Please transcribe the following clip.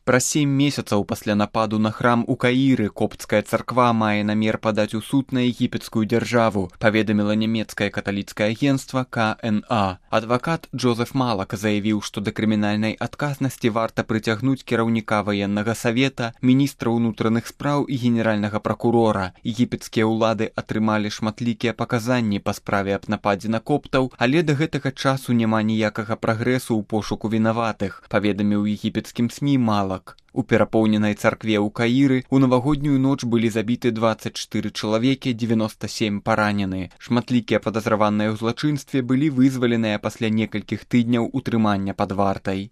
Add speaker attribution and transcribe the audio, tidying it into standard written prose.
Speaker 1: Праз 7 месяцаў пасля нападу на храм у Каіры копцкая царква мае намер падаць у суд на егіпецкую дзяржаву, паведаміла нямецкае каталіцкае агенцтва КНА. Адвакат Джозеф Малак заявіў, што да крымінальнай адказнасці варта прыцягнуць кіраўніка ваеннага савета, міністра ўнутраных спраў і генеральнага пракурора. Егіпецкія ўлады атрымалі шматлікія паказанні па справе аб нападзе на коптаў, але да гэтага часу няма ніякага прагрэсу ў пошуку вінаватых, паведаміў егіпецкім СМІ Малак. У перапоўненай царкве ў Каіры ў навагоднюю ноч былі забіты 24 чалавекі, 97 паранены. Шматлікія падазраваныя ў злачынстве былі вызваленыя пасля некалькіх тыдняў утрымання пад вартай.